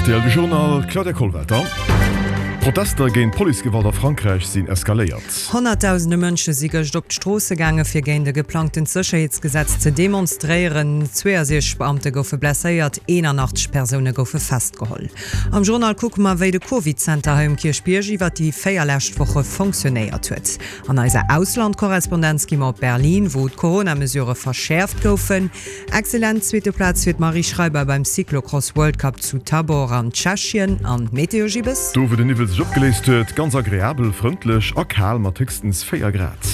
Rtl De Journal, Claudia Kollwelter. Protester géint Policegewalt a Frankräich sinn eskaléiert. Honnertdausende Mënsche si gëscht op d'Stroosse gaange fir géint e geplangtent Sécherheetsgesetz ze demonstréieren. 62 Beamte goufe blesséiert, 81 Persoune goufe festgeholl. Am Journal kucke mer, wéi de Covid-Center hei um Kierchbierg iwwer déi 4 lescht Woche fonctionnéiert huet. An eiser Auslandkorrespondenz gi mer op Berlin, wou d'Corona-Mesurë verschäerft goufen. Excellent zweete Plaz fir d'Marie Schreiber beim Cyclocross World Cup zu Tabor an Tschechien. An d'Meteo, Gibbes? Do wou den Niwwel sech opgeléist huet, ganz agreabel, frëndlech a kal mat héchstens 4 Grad.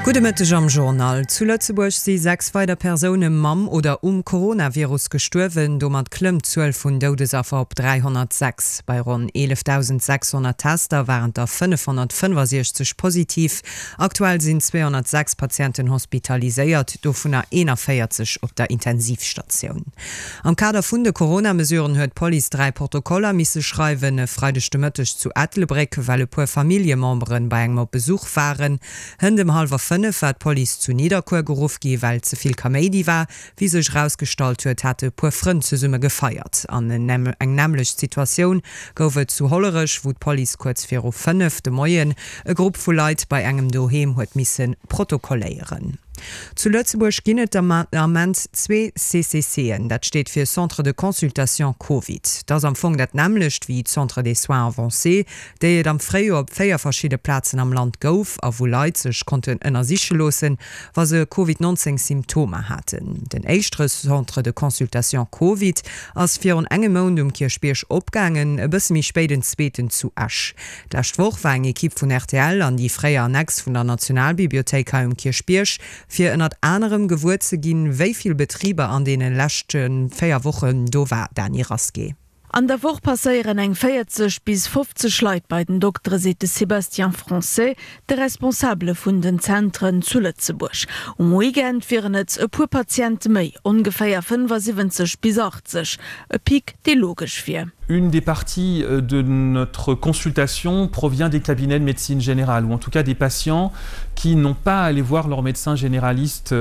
Gudde Mëtteg am Journal. Zu Lëtzebuerg si 6 weider Persoune mam oder um Coronavirus gestuerwen. Domat klëmmt d'Zuel vun Doudesaffer op 306. Bei ronn 11.600 Tester waren der 565 positiv. Aktuell sinn 206 Patienten hospitaliséiert, dovunner 41 op der Intensivstatioun. Am Kader vun de Corona-Mesuren huet d'Police 3 Protokoller misse schreiwen. E Freideg de Mëtteg zu Ettelbréck, well e puer Familljemembere bei engem op Besuch waren. Hënt ëm hallwer 5 war d'Police zu Nidderkuer geruff gi well ze vill Kaméidi war. Wéi sech erausgestallt huet, hate e puer Frënn zesumme gefeiert. An eng nämmlecht Situatioun gouf et zu Hollerech, wou d'Police kuerz viru 5 de Moien e Grupp vu Leit bei engem doheem huet misse protokolléieren. Zu Lëtzebuerg ginn et den Ament zwee CCCen, dat steet fir Centre de consultation Covid. Dat ass am Fong dat nämmlecht wéi d'Centres des soins avancés, déi et am Fréijoer op 4 verschidde Plazen am Land gouf a wou Leit sech konnten ënnersiche loossen, wa se Covid 19 Symptomer haten. Den éischtere Centre de consultation Covid ass virun engem Mount um Kierchbierg opgaangen, e bësse méi spéit en zweeten zu Esch. D'lescht Woch war eng Ekipp vun rtl an déi fréier Annex vun der Nationalbibliothéik hei um Kierchbierg, fir ënnert anerem gewuer ze ginn, wéi vill Betriber an deene leschte 4 Wochen do war. Dany Rasqué. An der Woch passéieren eng 40 bis 50 Leit bei den Doktere, seet de Sébastien Français, de Responsabele vun den Zentren zu Lëtzebuerg. Um Weekend wieren et e puer Patiente méi, ongeféier 75 bis 80. E Pic, dee logesch wier. Une des parties de notre consultation provient des cabinets de médecine générale, ou en tout cas des patients qui n'ont pas à aller voir leur médecin généraliste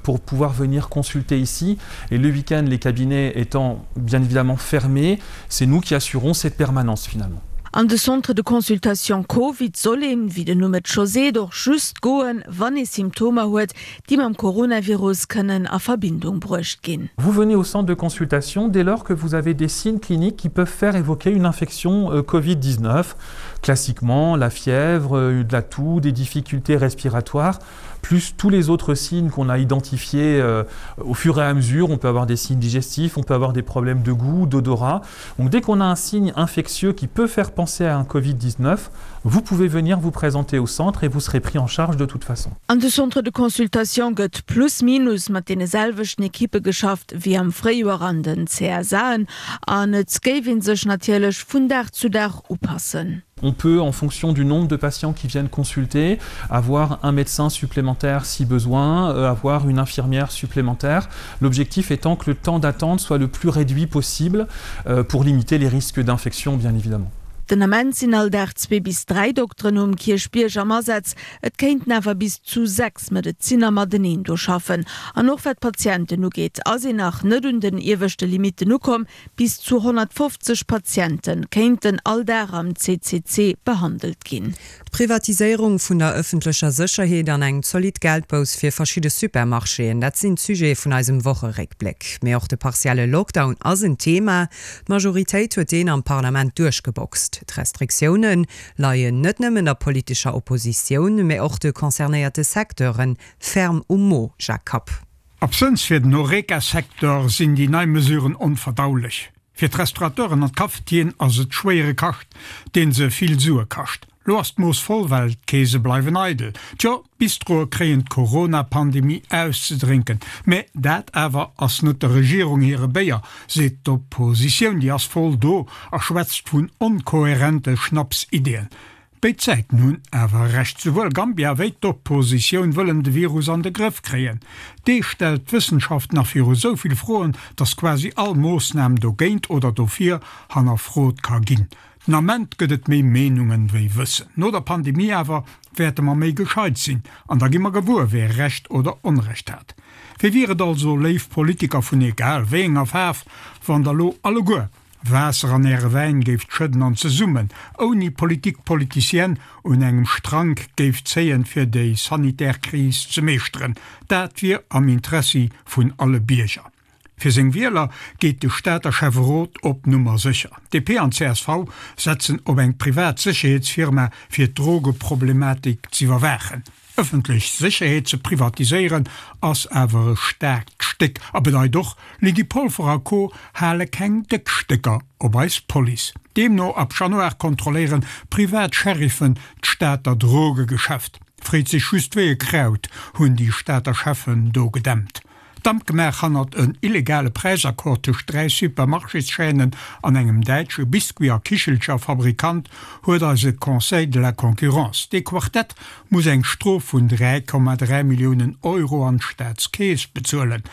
pour pouvoir venir consulter ici. Et le week-end, les cabinets étant bien évidemment fermés, c'est nous qui assurons cette permanence finalement. An de Centre de consultation Covid soll een, wéi den Numm et scho seet, och just goen, wann ee Symptomer huet, déi mam Coronavirus kënnen a Verbindung bruecht ginn. Vous venez au centre de consultation dès lors que vous avez des signes cliniques qui peuvent faire évoquer une infection euh, Covid-19, classiquement la fièvre, euh, de la toux, des difficultés respiratoires. plus tous les autres signes qu'on a identifiés euh, au fur et à mesure. On peut avoir des signes digestifs, on peut avoir des problèmes de goût, d'odorat. Donc dès qu'on a un signe infectieux qui peut faire penser à un Covid-19, vous pouvez venir vous présenter au centre et vous serez pris en charge de toute façon. An de Centre de consultation gëtt plus minus mat deene selwechten Ekippe geschafft wéi am Fréijoer an den CSAen an et géif ee sech natierlech vun Dag zu Dag upassen. On peut, en fonction du nombre de patients qui viennent consulter, avoir un médecin supplémentaire si besoin, euh, avoir une infirmière supplémentaire. L'objectif étant que le temps d'attente soit le plus réduit possible euh, pour limiter les risques d'infection, bien évidemment. Den Ament sinn all Dag zwee bis dräi Dokteren um Kierchbierg am Asaz. Et kéinten awer bis zu 6 Medezinner mateneen do schaffen. An och wat d'Patienten ugeet, ass een nach net un den ieweschte Limitten ukomm. Bis zu 150 Patiente kéinten all Dag am CCC behandelt ginn. D'Privatiséierung vun der ëffentlecher Sécherheet an eng zolidd Geldbouss fir verschidde Supermarchéen, dat sinn d'Sujete vun eisem Wocheréckbléck. Mee och de partielle Lockdown ass en Thema. D'Majoritéit huet deen am Parlament duerchgeboxt. D'Restriktioune leien net nëmmen der politescher Oppositioun, mee och de concernéierte Secteure ferm um Mo, Jacques Kapp. Absënns fir den Horeca-Secteur sinn déi nei Mesuren onverdaulech. Fir d'Restaurateuren an d'Cafetieren ass et schwéiere Kascht, dee se vill Sue kascht. Lo ass d'Mooss voll, well d'Keese bleiwen eidel. Tjo, d'Bistroe kréien d'Corona-Pandemie auszedrénken. Mä dat awer ass net der Regierung hire Béier, seet d'Oppositioun. Déi ass voll do a schwätzt vun onkohärente Schnapsideeën. Béid Säiten hunn awer Recht. Souwuel Gambia wéi d'Oppositioun wëllen de Virus an de Grëff kréien. Dee stellt d'Wëssenschaft nach viru sou vill Froen, datt quasi all Moossnam dogéint oder dofir hannerfrot ka ginn. Den Ament gëtt et méi Meenungen wéi Wëssen. No der Pandemie awer wäerte mer méi gescheit sinn an da gi mer gewuer, wee Recht oder Onrecht hat. Wéi wier et also, léif Politiker vun egal wéi enger Faarf, wann der lo alleguer. Waasser an Äre Wäin géift schëdden an zesummen, ouni Politique politicienne, un engem Strank géift zéien, fir déi sanitär Kris ze meeschteren. Dat wier am Interessi vun alle Bierger. Fir seng Wieler geet de Stater Schäfferot op Nummer sécher. DP an csv setzen op eng privat Sécherheetsfirma fir d'Drogeproblematik z'iwwerwaachen. Ëffentlech Sécherheet ze privatiséieren ass awer e staarkt Stéck a bedeit och, Lydie Polfer a Co hale keng déck Stécker op eis Police. Deemno ab Januar kontrolléieren privat Sheriffen d'Stater Drogegeschäft. Freet sech just wéi e Kraut hunn déi Stater Cheffen do gedämpt. Damp gemaach hannert en illegale Präisaccord tëscht 3 Supermarchéschaînen an engem däitsche Biscuit a Kichelcherfabrikant huet eise Conseil de la Concurrence. Dee Quartett muss eng Strof vun 3,3 Milliounen Euro an d'Staatskeess bezuelen.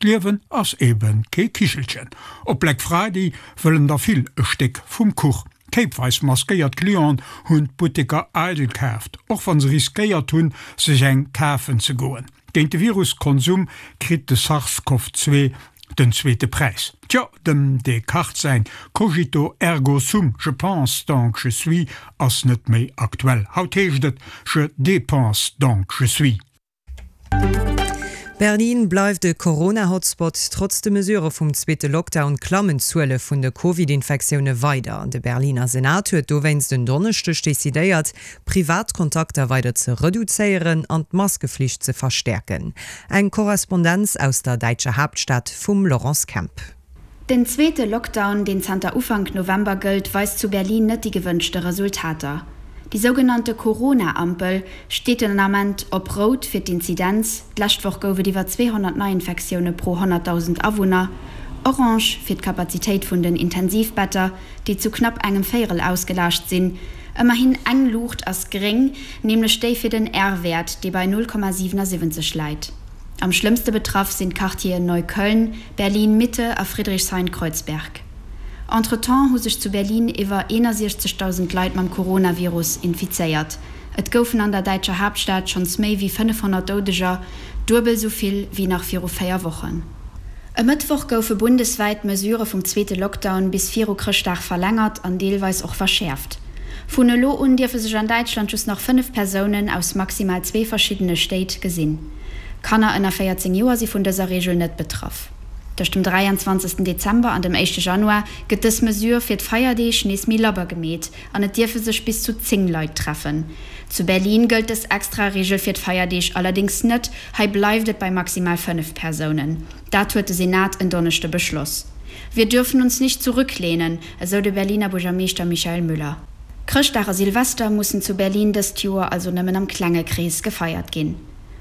D'Liewen ass ebe kee Kichelchen. Op Black Friday wëllen der vill e Stéck vum Kuch. Kéipweis maskéiert Clienten hunn d'Butteker eidel kaaft, och wa se riskéiert hunn, sech eng kafen ze goen. Géint de Viruskonsum kritt de SARS-CoV-2 den zweete Präis. Tjo, dem Descartes säin Cogito ergo sum, je pense donc je suis, ass net méi aktuell. Haut heescht et je dépense donc je suis. Berlin bleift e Corona-Hotspot. Trotz de Mesurë vum zweete Lockdown klammen d'Zuele vun de Covid-Infektioune weider. De Berliner Senat huet dowéinst en Donneschdeg decidéiert, privat Kontakter weider ze reduzéieren an d'Maskeflicht ze verstäerken. Eng Korrespondenz aus der däitscher Haaptstad vum Laurence Kemp. Den zweete Lockdown, deen zanter Ufank November gëllt, weist zu Berlin net déi gewënschte Resultater. Déi sougenannte Corona-Ampel steet den Ament op Rout fir d'Inzidenz, d'lescht Woch gouf et iwwer 200 Neiinfektioune pro 100.000 Awunner, Orange fir d'Kapazitéit vun den Intensivbetter, déi zu knapp engem Véierel ausgelaascht sinn. Ëmmerhin eng Luucht ass gréng, nämlech déi fir den R-Wäert, dee bei 0,77 läit. Am schlëmmste betraff sinn d'Quartieren Neukölln, Berlin-Mitte a Friedrichshain-Kreuzberg. Entretemps hu sech zu Berlin iwwer 61.000 Leit mam Coronavirus infizéiert. Et goufen an der däitscher Haaptstad schonns méi wéi 500 Doudeger, duebel esou vill wéi nach viru 4 Wochen. E Mëttwoch goufe bundeswäit d'Mesurë vum zweete Lockdown bis viru Chrëschtdag verlängert an deelweis och verschäerft. Vun elo un dierfe sech an Däitschland just nach 5 Persounen aus maximal zwee verschiddene Stéit gesinn. Kanner ënner 14 Joer si vun dëser Reegel net betraff. Tëscht dem 23 Dezember an dem éischte Januar gëtt dës Mesure fir d'Feierdeeg nees méi labber gemeet an et dierfe sech bis zu 10 Leit treffen. Zu Berlin gëllt dës extra Reegel fir d'Feierdeeg allerdéngs net, Hei bleift et bei maximal 5 Persounen. Dat huet de Senat en Donneschde beschloss. Wir dürfen uns nicht zurücklehnen, esou de Berliner Buergermeeschter Michael Müller. Chrëschtdag a Silvester mussen zu Berlin dëst Joer also nëmmen am klenge Krees gefeiert ginn.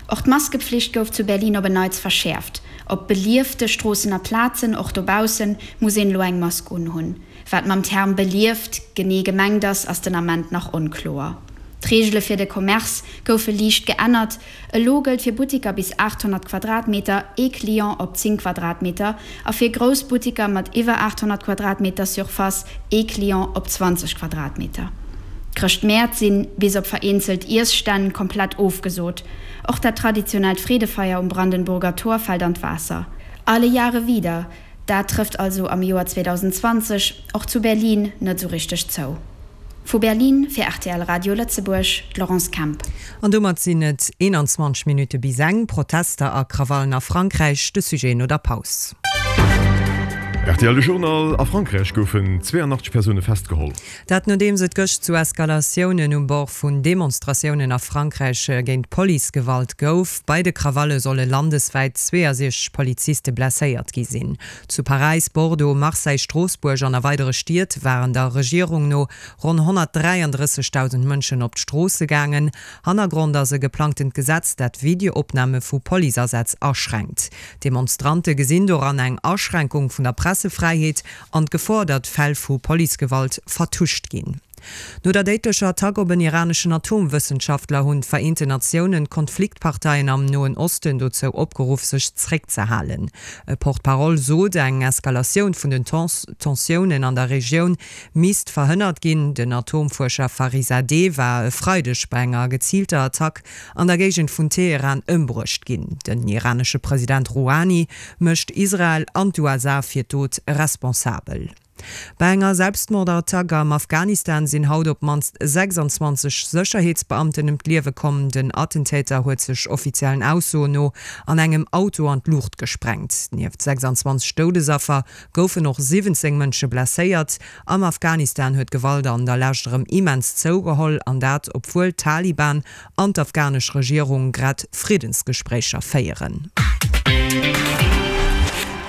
Och d'Maskepflicht gouf zu Berlin op en Neits verschäerft. Op beliefte Stroossen a Plazen, och dobaussen, muss een elo eng Mask unhunn. Wat mam Term belieft genee gemengt ass, ass den Ament nach onkloer. D'Reegele fir de Commerce goufe liicht geännert, Elo gëllt fir Buttiker bis 800 Quadratmeter ee Client op 10 Quadratmeter a fir grouss Buttiker mat iwwer 800 Quadratmeter Surface ee Client op 20 Quadratmeter. D'Chrëschtmäert sinn, bis op vereenzelt Iesstänn, komplett ofgesot. Och dat traditionellt Freedefeier um Brandenburger Tor fält an d'Waasser. Alle Jahre wieder, dat trëfft also am Joer 2020 och zu Berlin net esou richteg zou. Vu Berlin fir rtl Radio Lëtzebuerg, d'Laurence Kemp. An domat sinn et 21 Minutte bis eng. Protester a Krawallen a Frankräich, de Sujet no der Paus. Rtl De Journal, A Frankräich goufen 82 Persoune festgeholl. Dat nodeems et gëscht zu Eskalatiounen um Bord vun Demonstratiounen a Frankräich géint Policegewalt gouf. Bei de Krawalle solle landeswäit 62 Poliziste blesséiert gi sinn. Zu Paräis, Bordeaux, Marseille, Stroossbuerg an a weidere Stied waren der Regierung no ronn 133.000 Mënschen op d'Stroosse gaangen. Hannergrond ass e geplangtent Gesetz, dat Videoopname vu Policeasätz aschränkt. D'Demonstrante gesinn doran eng Aschränkung vun der Pressefräiheet an d'Gefor, datt Fäll vu Policegewalt vertuscht ginn. No der déidlecher Attack op en iraneschen Atomwëssenschaftler hunn d'Vereenten Natiounen d'Konfliktparteien am Noen Osten dozou opgeruff, sech zréckzehalen. E Porte-parole sot, eng Eskalatioun vun den Tensiounen an der Regioun misst verhënnert ginn. Den Atomfuerscher Farizadeh war e Freideg bei enger geziilter Attack an der Géigend vun Teheran ëmbruecht ginn. Den iranesche President Rouhani mécht Israel an d'USA fir d'Dot responsabel. Bei enger Selbstmordattack am Afghanistan sinn haut op d'mannst 26 Sécherheetsbeamten ëm d'Liewe komm. Den Attentäter huet sech offiziellen Aussoen no an engem Auto an d'Luucht gesprengt. Nieft 26 Doudesaffer goufen och 17 Mënsche blesséiert. Am Afghanistan huet d'Gewalt an der Lescht erëm immens zougeholl, an dat obwuel d'Taliban an d'afghanesch Regierung grad Friddensgespréicher féieren.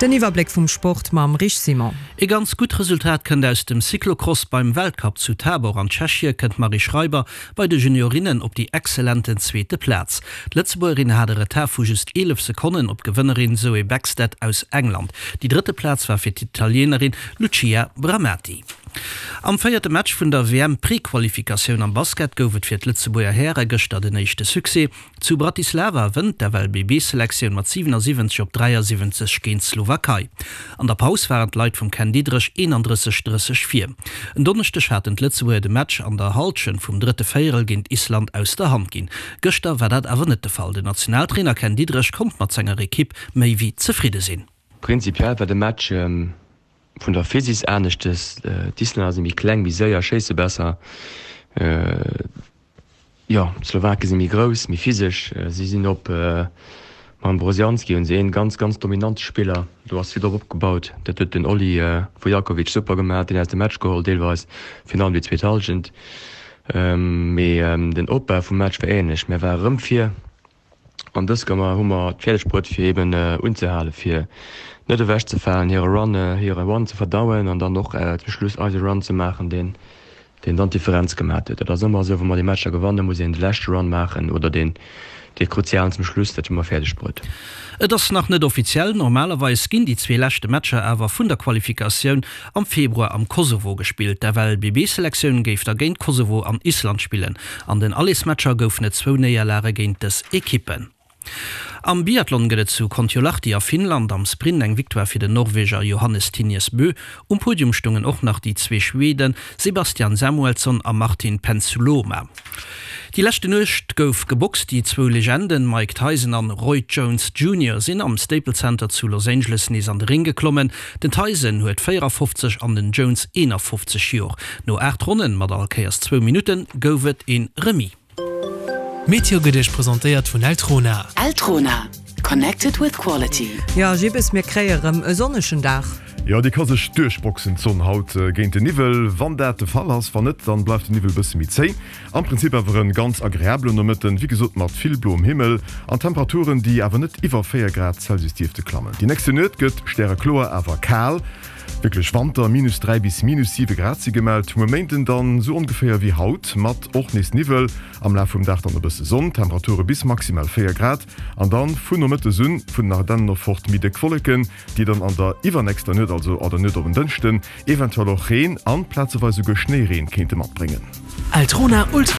Den Iwwerbléck vum Sport mam Rich Simon. E ganz gutt Resultat kënnt aus dem Cyclocross. Beim Weltcup zu Tabor an Tschechie kënnt d'Marie Schreiber bei de Juniorinnen op déi exzellenten zweete Plaz. D'Lëtzebuergerin hat e Retard vu just 11 Sekonnen op d'Gewënnerin Zoe Bäckstedt aus England. Déi drëtte Plaz war fir d'Italienerin Lucia Bramati. Am véierte Match vun der WM-Prequalifikatioun am Basket gouf et fir d'Lëtzebuerger Häre gëschter den éischte Succès. Zu Bratislava wënnt d'FLBB-Selektioun mat 77 op 73 géint d'Slowakei. An der Paus waren d'Leit vum Ken Diederich 31, 30 vir. En Donneschdeg haten d'Lëtzebuerger de Match an der Hallschent vum drëtte Véierel géint Island aus der Hand ginn. Gëschter war dat awer net de Fall. Den Nationaltrainer Ken Diederich konnt mat senger Ekipp méi wéi zefridde sinn. Prinzipiell war de Match Vun der Physis aneschtes, d'Islänner si méi kleng, méi séier, schéisse besser. Jo, d'Slowake si méi grouss, méi physesch. Si sinn op, mam Brodziansky hunn se een ganz, ganz dominante Spiller. Do ass vill drop opgebaut. Dat huet den Olli Vujakovic super gemaach, deen aus dem Match geholl deelweis, virun allem déi zweet Hallschent. Mee den Opbau vum Match war änlech. Mir ware rëm vir. An dës Kéier hu mer et fäerdeg bruet fir eben unzehalen, fir net ewech ze falen, hire Run, hire Run ze verdauen an dann och zum Schluss eise Run ze maachen, deen, deen dann d'Differenz gemaat huet. Dat ass ëmmer esou, wa mer déi Matcher gewannen, muss een de leschte Run maachen oder deen, dee kruzialen zum Schluss. Dat hu mer fäerdeg bruet. Et ass nach net offiziell, normalerweis ginn déi zwee leschte Matcher awer vun der Qualifikatioun am Februar am Kosovo gespillt. D'FLBB-Selektioun géif da géint Kosovo an Island spillen. An den Allesmatcher goufen et zwou Néierlage géint dës Ekippen. Am Biathlon gëtt et zu Kontiolahti a Finnland am Sprint eng Victoire fir den Norweger Johannes Thingnes Bö. Um Podium stoungen och nach déi zwee Schwede Sebastian Samuelsson a Martin Ponsiluoma. Déi leschte Nuecht gouf geboxt, déi zwou Legenden Mike Tyson an Roy Jones Junior sinn am Staples Center zu Los Angeles nees an de Ring geklommen. Den Tyson huet 54 an den Jones 51 Jor. No 8 Ronnen mat all Kéiers zwou Minutten gouf et een Remis. D'Meteo gëtt Iech presentéiert vun Eltrona. Eltrona, connected with quality. Jo, Jibbes, mir kréie rëm e sonnegen Dag. Jo, déi ka sech duerchboxen, d'Sonn haut géint den Niwwel, wann dat de Fall ass. Wann net, dann bleift den Niwwel bësse méi zéi. Am Prinzip awer en ganz agreablen Nomëtten, wéi gesot mat vill bloem Himmel an Temperaturen, déi awer net iwwer 4 Grad Celsius dierfte klammen. Déi nächste Nuet gëtt stärekloer, awer kal, wierklech Wanter, minus 3 bis minus 7 Grad si gemellt. Muer Méinden dann esou ongeféier wéi haut, mat och nees Niwwel, am Laf vum Dag dann e bësse Sonn, Temperature bis maximal 4 Grad an dann vun Nomëttes un vun den Ardennen of fort méi déck Wolleken, déi dann an der iwwernächster Nuet, also an der Nuet op en Dënschden, eventuell och Reen an plazeweis esouguer Schnéireen kéinte matbréngen. Eltrona Ultra.